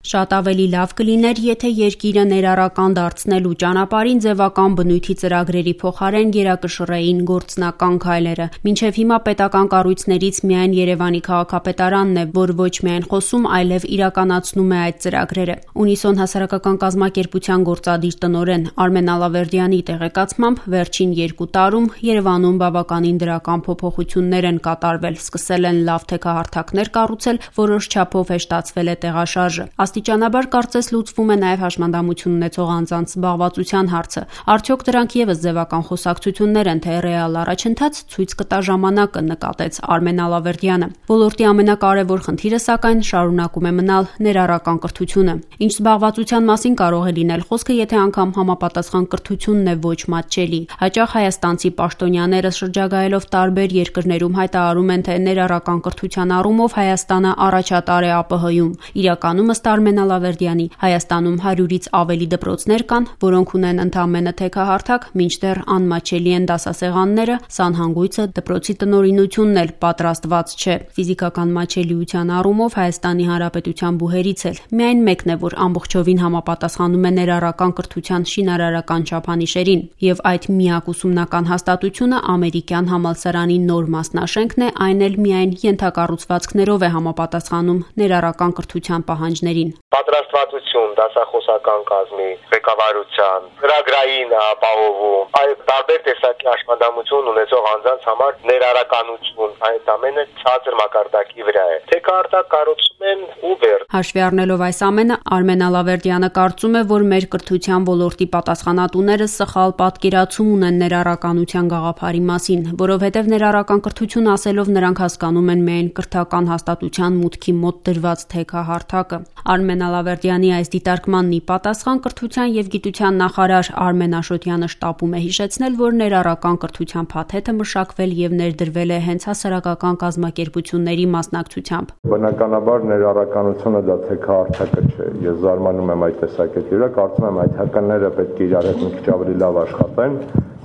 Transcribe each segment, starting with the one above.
Շատ ավելի լավ կլիներ, եթե երկիրը ներառական դարձնելու ճանապարհին ձևական բնույթի ծրագրերի փոխարեն գերակշռեին գործնական քայլերը։ Մինչև հիմա պետական կառույցներից միայն Երևանի քաղաքապետարանն է, որ ոչ միայն խոսում, այլև իրականացնում է այդ ծրագրերը։ Ունիսոն հասարակական կազմակերպության գործադիր տնօրեն Արմեն Ալավերդյանի տեղեկացմամբ վերջին 2 տարում Երևանում բավականին դրական փոփոխություններ են կատարվել, սկսել են լավ թեքահարթակներ կառուցել, որոշ չափով հեշտացվել է տեղաշարժը։ Աստիճանաբար կարծես լուծվում է նաև հաշմանդամություն ունեցող անձանց զբաղվածության հարցը։ Արդյոք դրանք ևս ձևական խոսակցություններ են, թե ռեալ առաջընթաց ցույց կտա ժամանակը, նկատեց Արմեն Ալավերդյանը։ Ոլորտի ամենակարևոր խնդիրը, սակայն, շարունակում է մնալ ներառական կրթությունը։ Ինչ զբաղվածության մասին կարող է լինել խոսքը, եթե անգամ համապատասխան կրթությունն է ոչ մատչելի։ Հաճախ հայաստանցի պաշտոնյաները շրջագայելով տարբեր երկրներում հայտարարում են, թե ներառական կրթության առումով Հայաստանը առաջատար է ԱՊՀ-ում։ Իրականում, ըստ Արմեն Ալավերդյանի, Հայաստանում 100-ից ավելի դպրոցներ կան, որոնք ունեն ընդամենը թեքահարթակ, մինչդեռ անմատչելի են դասասեղանները, սանհանգույցը, դպրոցի տնօրինությունն էլ պատրաստված չէ։ Ֆիզիկական մատչելիության առումով Հայաստանի Հանրապետության բուհերից էլ միայն մեկն է, որ ամբողջովին համապատասխանում է ներառական կրթության շինարարական չափանիշերին, եւ այդ միակ ուսումնական հաստատությունը ամերիկյան համալսարանի նոր մասնաշենքն է, այն էլ միայն ենթակառուցվածքներով է համապատասխանում ներառական կրթության պահանջներին։ Պատրաստվածություն, դասախոսական կազմի, ղեկավարության, ծրագրային ապահովում, այդ տարբեր տեսակի հաշմանդամություն ունեցող անձանց համար ներառականություն, այդ ամենը ցածր մակարդակի վրա է։ Թեքահարթակ կառուցում են Uber։ Հաշվի առնելով այս ամենը, Արմեն Ալավերդյանը կարծում է, որ մեր կրթության ոլորտի պատասխանատուները սխալ պատկերացում ունեն ներառականության գաղափարի մասին, որովհետև ներառական կրթություն ասելով նրանք հասկանում են միայն կրթական հաստատության մուտքի մոտ դրված թեքահարթակը։ Արմեն Ալավերդյանի այս դիտարկմանն ի պատասխան կրթության եւ գիտության նախարար Արմեն Աշոտյանը շտապում է հիշեցնել, որ ներառական կրթության փաթեթը մշակվել եւ ներդրվել է հենց հասարակական կազմակերպությունների մասնակցությամբ։ Բնականաբար ներառականությունը դա թեքահարթակը չէ։ Ես զարմանում եմ այդ տեսակետի վրա, կարծում եմ այդ հականները պետք է իրար հետ մի քիչ ավելի լավ աշխատեն,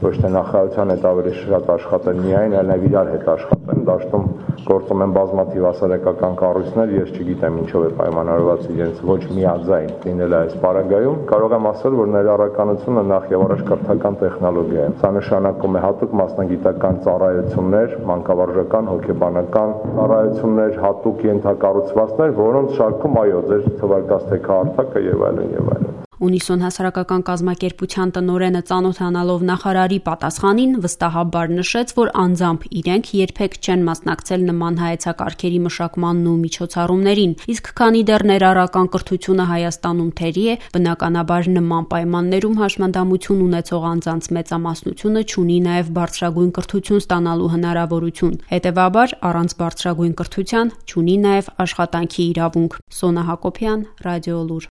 ոչ թե նախարարության հետ ավելի շատ աշխատեն միայն, այլև իրար հետ աշխատեն։ Դաշտում գործում են բազմաթիվ հասարակական կառույցներ, ես չգիտեմ ինչով է պայմանավորված իրենց ոչ միաձայն լինելը այս պարագայում։ Կարող եմ ասել, որ ներառականությունը նախ եւ առաջ կրթական տեխնոլոգիա է։ Սա նշանակում է հատուկ մասնագիտական ծառայություններ, մանկավարժական, հոգեբանական ծառայություններ, հատուկ ենթակառուցվածքներ, որոնց շարքում այո, ձեր թվարկած թեքահարթակը եւ այլն եւ այլն։ Ունիսոն հասարակական կազմակերպության տնօրենը ծանոթանալով նախարարի պատասխանին վստահաբար նշեց, որ անձամբ իրենք երբեք չեն մասնակցել նման հայեցակարգերի մշակմանն ու միջոցառումներին, իսկ քանի դեռ ներառական կրթությունը Հայաստանում թերի է, բնականաբար նման պայմաններում հաշմանդամություն ունեցող անձանց մեծամասնությունը չունի նաև բարձրագույն կրթություն ստանալու հնարավորություն։ Հետևաբար, առանց բարձրագույն կրթության չունի նաև աշխատանքի իրավունք։ Սոնա Հակոբյան, Ռադիոլուր։